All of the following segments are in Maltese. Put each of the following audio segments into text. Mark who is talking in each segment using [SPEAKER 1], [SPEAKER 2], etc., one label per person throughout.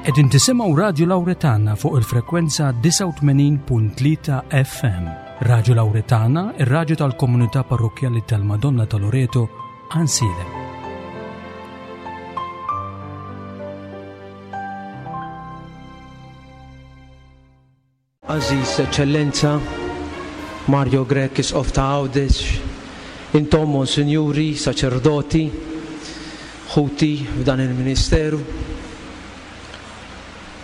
[SPEAKER 1] Qegħdin tisimgħu Radju Lawretana fuq il-frekwenza 89.3 FM. Radju Lawretana, ir-radju tal-komunità parrokkjali tal-Madonna ta' Loreto, Għansielem.
[SPEAKER 2] Għażiż Eċċellenza Mario Grech Isqof ta' Għawdex, intom Monsinjuri, Saċerdoti, ħuti f'dan il-ministeru,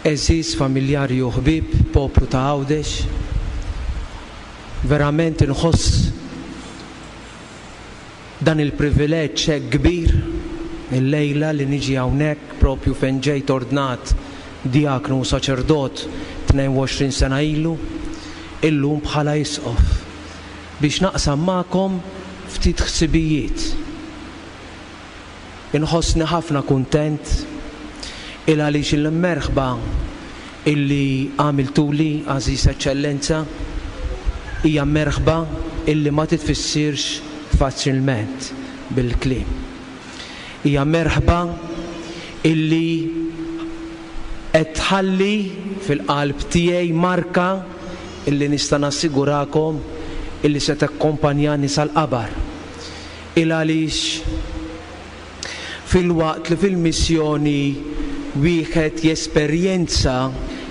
[SPEAKER 2] għeżież familjari u ħbieb, poplu ta' Għawdex, verament inħoss Dan il-privileġġ hekk kbir illejla li niġi hawnhekk propju fejn ġejt ordnat djaknu u saċerdot 22 sena ilu, illum bħala isqof, biex naqsam magħkom ftit ħsibijiet. Inħossni ħafna kuntent il għaliex il-merħba illi għamiltuli, għażiż Eċċellenza, hija merħba illi ma titfissirx faċilment bil-kliem. Hija merħba illi qed tħalli fil-qalb tiegħi marka illi nista' nassigurakom illi se takkompanjani sal-qabar. Il għaliex filwaqt li fil-missjoni wieħed jesperjenza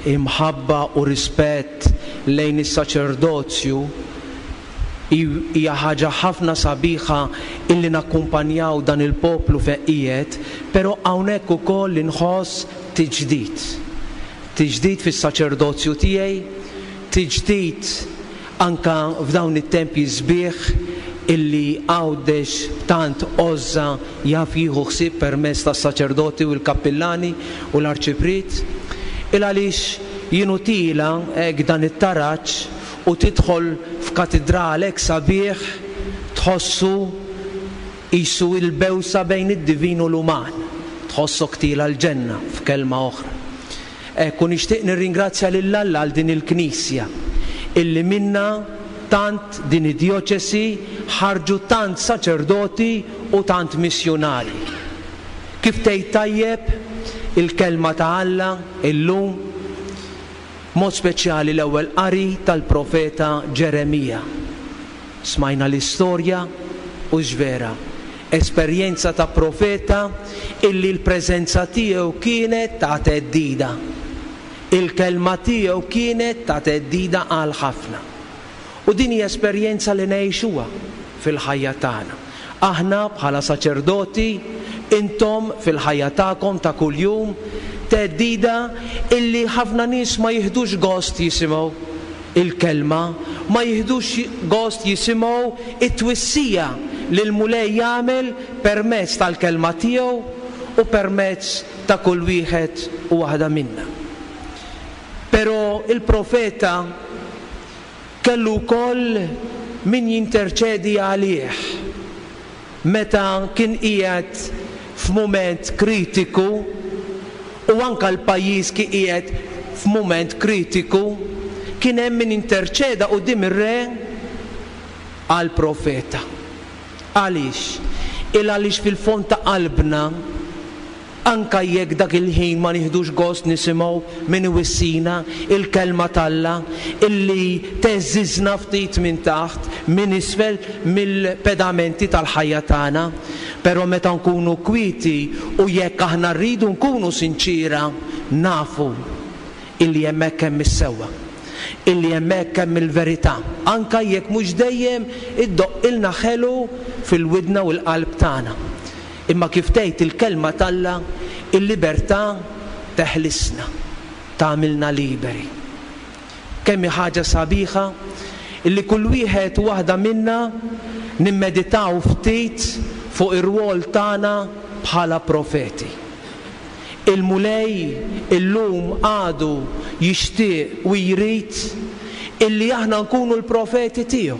[SPEAKER 2] imħabba u rispett lejn is-saċerdozju, hija ħaġa ħafna sabiħa illi nakkumpanjaw dan il-poplu fejn qiegħed, però hawnhekk ukoll inħoss tiġdid. Tiġdid fis-saċerdozju tiegħi, tiġdid Anke f'dawn it-tempji sbieħ illi Għawdex b'tant għożża jaf jieħu ħsieb permezz tas-saċerdoti u l-kappillani u l-arċipriet. Il għaliex jien u tiela' hekk dan it-taraġ u tidħol f'katidral hekk sabiħ tħossu qisu il-bewsa bejn id-divin u l-uman. Tħossok tiela' l-ġenna, f'kelma oħra. Hekk u nixtieq nirringrazzja lil Alla għal din il-Knisja illi minnha tant din id-djoċesi ħarġu tant saċerdoti u tant missjunarji. Kif tgħid tajjeb il-Kelma ta' Alla illum, b'mod speċjali l-ewwel qari tal-profeta Ġeremija. Smajna l-istorja, hux vera? Esperjenza ta' profeta illi l-preżenza tiegħu kienet ta' theddida. Il-kelma tiegħu kienet ta' theddida għal ħafna. U din hi esperjenza li ngħixuha fil-ħajja tagħna. Aħna bħala saċerdoti, intom fil-ħajja tagħkom ta' kuljum, theddida illi ħafna nies ma jiħdux gost jisimgħu. Il-kelma, ma jiħdux gost jisimgħu t-twissija li l-Mulej jagħmel permezz tal-kelma tiegħu u permezz ta' kull wieħed u waħda minna. Però il-profeta kellu wkoll min jinterċedi għalih. Meta kien qiegħed f'mument kritiku, u anke l-pajjiż kien qiegħed f'mument kritiku, kien hemm min interċeda quddiem ir-re għall-profeta. Għaliex? Il għaliex fil-fond ta' qalbna, Anke jekk dak il-ħin ma nieħdux gost nisimgħu min iwissina, il-Kelma t'Alla, illi theżżiżna ftit minn taħt, minn isfel, mill-pedamenti tal-ħajja tagħna. Però meta nkunu kwieti u jekk aħna rridu nkunu sinċiera, nafu illi hemmhekk hemm is-sewwa, illi hemmhekk hemm il-verità, anke jekk mhux dejjem iddoqqilna ħelu fil-widna u l-qalb tagħna. Imma kif tgħid il-Kelma t'Alla, il-libertà teħlisna, tagħmilna liberi. Kemm hi ħaġa sabiħa illi kull wieħed u waħda minna nimmeditaw ftit fuq ir-rwol tagħna bħala profeti. Il-Mulej illum għadu jixtieq u jrid illi aħna nkunu l-profeti tiegħu,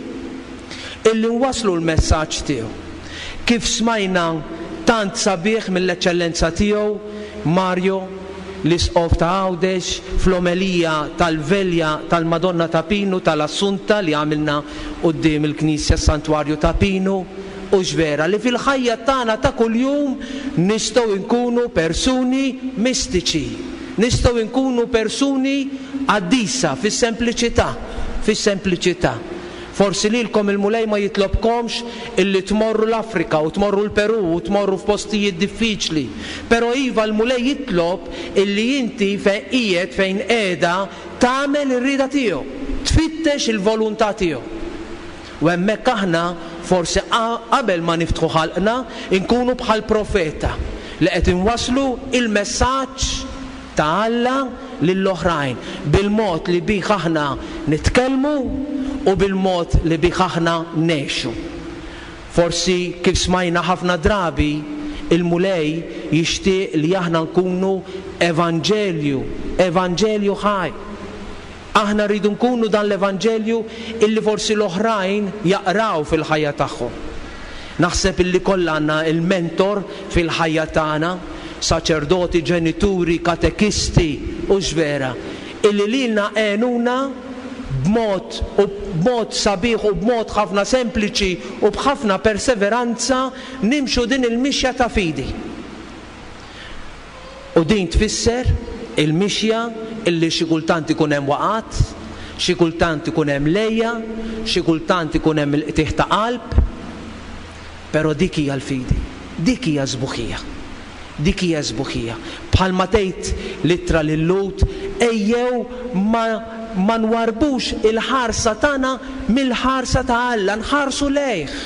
[SPEAKER 2] illi nwasslu l-messaġġ tiegħu. Kif smajna tant sabiħ mill-Eċċellenza Tiegħu Mario, l-Isqof ta' Għawdex, fl-omelija tal-Velja tal-Madonna ta' Pinu tal-Assunta li għamilna quddiem il-Knisja s-Santwarju ta' Pinu, hux vera li fil-ħajja tagħna ta' kuljum nistgħu nkunu persuni mistiċi? Nistgħu nkunu persuni qaddisa fis-sempliċità, fis-sempliċità. Forsi lilkom il-Mulej ma jitlobkomx illi tmorru l-Afrika u tmorru l-Perù u tmorru f'postijiet diffiċli. Però iva l-Mulej jitlob illi inti fejn qiegħed, fejn qiegħda, tagħmel ir-rieda tiegħu, tfittex il-voluntà tiegħu. U hemmhekk aħna forsi qabel ma niftħu ħalqna nkunu bħall-profeta li qed inwasslu il-messaġġ ta' Alla lill-oħrajn bil-mod li bih aħna nitkellmu u bil-mod li bih aħna ngħixu. Forsi kif smajna ħafna drabi, il-Mulej jixtieq li aħna nkunu evanġelju, evanġelju ħaj. Aħna rridu nkunu dan l-evanġelju illi forsi l-oħrajn jaqraw fil-ħajja tagħhom. Naħseb illi kollha għandna il-mentor fil-ħajja tagħna, saċerdoti, ġenituri, katekisti, hux vera, illi lilna għenuna b'mod u b'mod sabiħ u b'mod ħafna sempliċi u b'ħafna perseveranza nimxu din il-mixja ta' fidi. U din tfisser il-mixja illi xi kultant ikun hemm waqgħat, xi kultant ikun hemm l-għeja, xi kultant ikun hemm il-qtigħ ta' qalb, però dik hija l-fidi, dik hija s-sbuħija. Dik hija s-sbuħija. Bħalma tgħid l-ittra lil-Lhud, ejjew ma ma nwarrbux il-ħarsa tagħna mill-ħarsa ta' Alla, nħarsu lejh.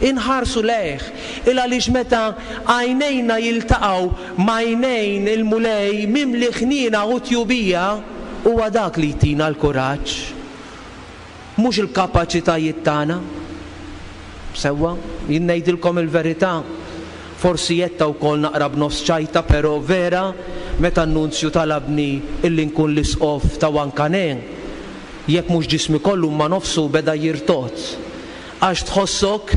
[SPEAKER 2] Inħarsu lejh. Il għaliex meta għajnejna jiltaqgħu m'għajnejn il-Mulej mimli ħniena u tjubija, huwa dak li jtina l-kuraġġ. Mhux il-kapaċitajiet tagħna. Sewwa, jien ngħidilkom il-verità, forsi għedtha wkoll naqra b'nofs ċajta però vera meta n-Nunzju talabni illi nkun l-Isqof ta' Huancané, jekk mhux ġismi kollu imma nofsu beda jirtogħod. Għax tħossok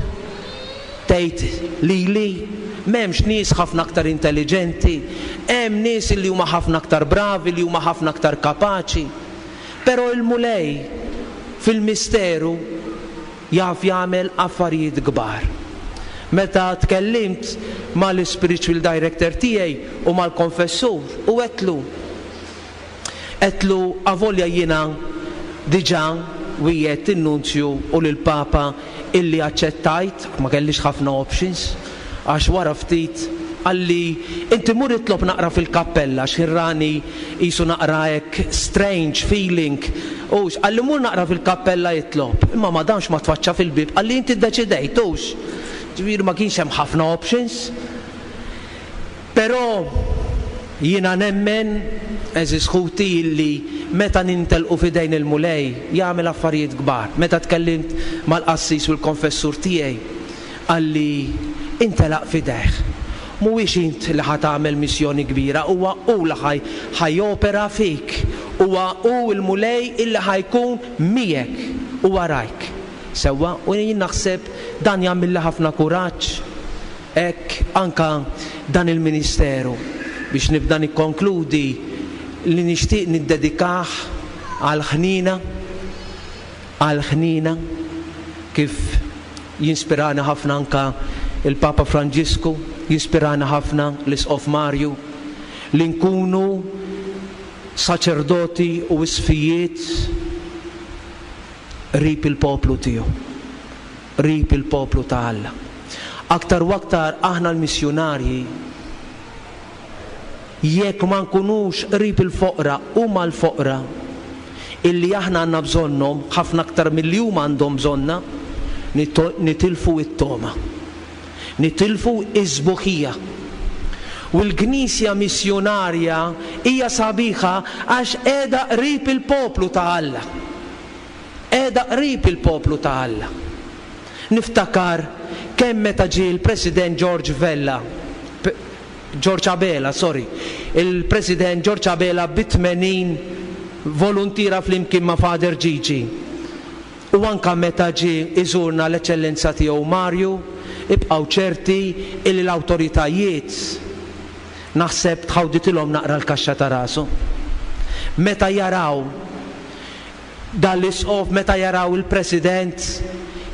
[SPEAKER 2] tgħid lili? M'hemmx nies ħafna aktar intelliġenti, hemm nies illi huma ħafna aktar bravi, li huma ħafna aktar kapaċi. Però il-Mulej fil-misteru jaf jagħmel affarijiet kbar. Meta tkellimt mal-ispiritual director tiegħi u mal-konfessur u għedtlu, Għedtlu avolja jiena diġà wiegħedt in-Nunzju u lill-Papa illi aċċettajt, ma kellix ħafna options, għax wara ftit qalli inti mur itlob naqra fil-kappella x'ħin rani qisu naqra hekk strange feeling hux, qalli mur naqra fil-kappella itlob. Imma ma damx ma tfaċċa fil-bieb qalli inti ddeċidejt hux. Ġifieri ma kienx hemm ħafna options. Però jiena nemmen, għeżież ħuti, illi meta nintelqu f'idejn il-Mulej, jagħmel affarijiet kbar. Meta tkellimt mal-qassis u l-konfessur tiegħi, qalli, Intelaq f'idejh. Mhuwiex int li ħa tagħmel missjoni kbira, huwa hu li ħa ħa jopera fik. Huwa hu l-Mulej illi ħa jkun miegħek u warajk. Sewwa? U jien naħseb dan jagħmilli ħafna kuraġġ. Hekk anke dan il-ministeru, biex nibda nikkonkludi, li nixtieq niddedikah għall-ħniena, għall-ħniena, kif jinspirani ħafna anke l-Papa Franġisku, jispirani ħafna l-Isqof Marju, li nkunu saċerdoti u isqfijiet qrib il-poplu tiegħu. qrib il-poplu ta' Alla. Aktar u aktar aħna l-missjunarji, jekk ma nkunux qrib il-foqra u mal-foqra, illi aħna għandna bżonnhom ħafna aktar milli huma għandhom bżonna, nitilfu t-togħma. Nitilfu s-sbuħija. U l-Knisja missjunarja hija sabiħa għax qiegħda qrib il-poplu ta' Alla. Qiegħda qrib il-poplu ta' Alla. Niftakar kemm meta ġie l-President George Vella, George Abela, sorry, il-President George Abela bi 80 voluntiera flimkien ma' Father Gigi. U anke meta ġie iżurna l-Eċċellenza Tiegħu Mario, ibqgħu ċerti illi l-awtoritajiet naħseb tħawditilhom naqra l-kaxxa ta' rashom. Meta jaraw Dan l-Isqof meta jaraw il-President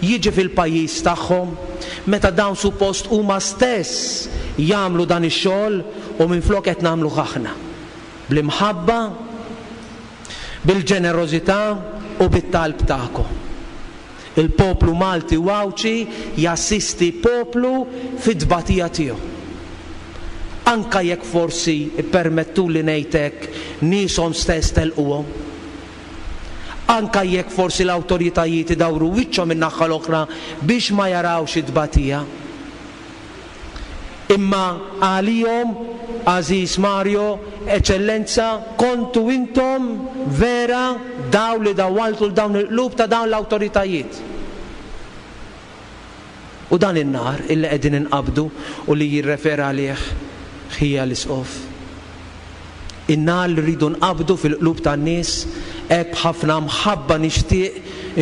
[SPEAKER 2] jiġi fil-pajjiż tagħhom, meta dawn suppost huma stess jagħmlu dan ix-xogħol u minflok qed nagħmluh aħna. Bl-imħabba, bil-ġenerożità u bit-talb tagħkom. Il-poplu Malti u Għawdxi jassisti poplu fit-tbatija tiegħu. Anke jekk forsi, ippermettuli ngħid hekk, nieshom stess telquhom. Anke jekk forsi l-awtoritajiet idawru wiċċhom in-naħa l-oħra biex ma jarawx it-tbatija. Imma għalihom, għażiż Mario, Eċċellenza, kontu intom vera dawl li dawwaltu 'l dawn il-qlub ta' dawn l-awtoritajiet. U dan in-nar illi qegħdin inqabbdu u li jirrefera għalih ħija l-Isqof. In-nar li rridu nqabbdu fil-qlub tan-nies, hekk b'ħafna mħabba nixtieq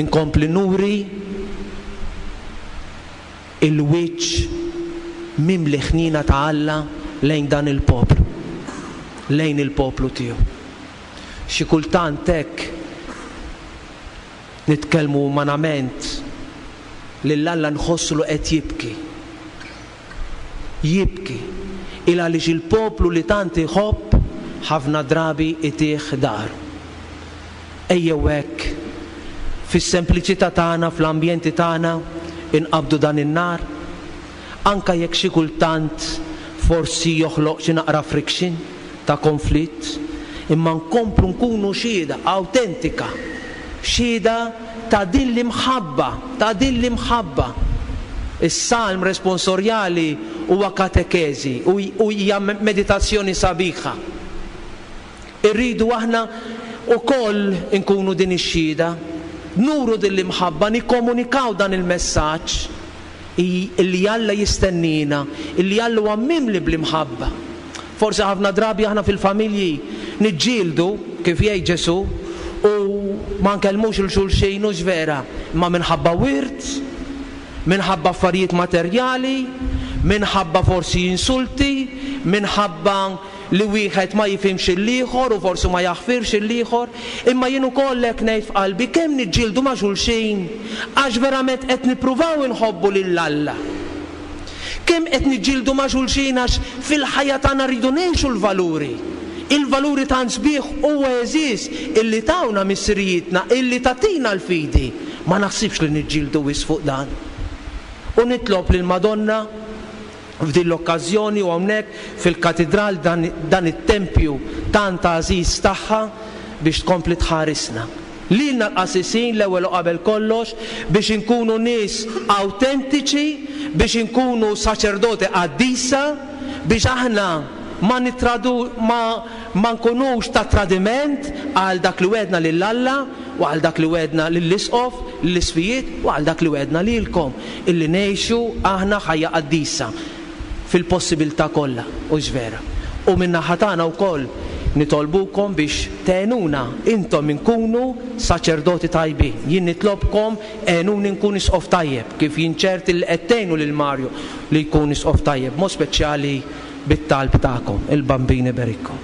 [SPEAKER 2] inkompli nuri il-wiċċ mimli ħniena ta' Alla lejn dan il-poplu, lejn il-poplu tiegħu. Xi kultant hekk nitkellmu umanament lil Alla nħossu li qed jibki. Jibki il għaliex il-poplu li tant iħobb ħafna drabi itih dahru. Ejjew hekk, fis-sempliċità tagħna, fl-ambjenti tagħna, inqabbdu dan in-nar, anke jekk xi kultant forsi joħloq xi naqra friction ta' konflitt, imma nkomplu nkunu xhieda awtentika, xhieda ta' din l-imħabba, ta' din l-imħabba. Is-salm responsorjali huwa katekeżi u hija meditazzjoni sabiħa. Irridu aħna wkoll inkunu din ix-xhieda, nuru din l-imħabba, nikkomunikaw dan il-messaġġ illi Alla jistenniena, illi Alla huwa mimli bl-imħabba. Forsi ħafna drabi aħna fil-familji niġġieldu, kif jgħid Ġesù, u ma nkellmux 'il xulxin, hux vera, imma minħabba wirt, minħabba affarijiet materjali, minħabba forsi insulti, minħabba li wieħed ma jifhimx lill-ieħor u forsi ma jaħfirx lill-ieħor, imma jien ukoll hekk ngħid f'qalbi kemm niġġieldu ma' xulxin għax verament qed nippruvaw inħobbu lil Alla. Kemm qed niġġieldu ma' xulxin għax fil-ħajja tagħna rridu ngħixu l-valuri, il-valuri tant sbieħ u għeżież illi tawna missirijietna, illi tagħtina l-fidi. Ma naħsibx li niġġieldu wisq fuq dan. U nitlob lill-Madonna F'din l-okkażjoni u hawnhekk fil-Katidral dan dan it-tempju tant għażiż tagħha biex tkompli tħarisna. Lilna l-qassisin l-ewwel u qabel kollox biex inkunu nies awtentiċi, biex inkunu saċerdoti qaddisa, biex aħna ma nittradu ma ma nkunux ta' tradiment għal dak li wegħdna lil Alla u għal dak li wegħdna lill-Isqof, lill-Isqfijiet u għal dak li wegħdna lilkom. Illi ngħixu aħna ħajja qaddisa fil-possibilità kollha, hux vera? U min-naħa tagħna wkoll nitolbukom biex tgħinuna intom inkunu saċerdoti tajbin. Jien nitlobkom għenuni nkun isqof tajjeb, kif jien ċert illi qed tgħinu lil Mario li jkun isqof tajjeb, b'mod speċjali bit-talb tagħkom. Il-Bambin iberikkom.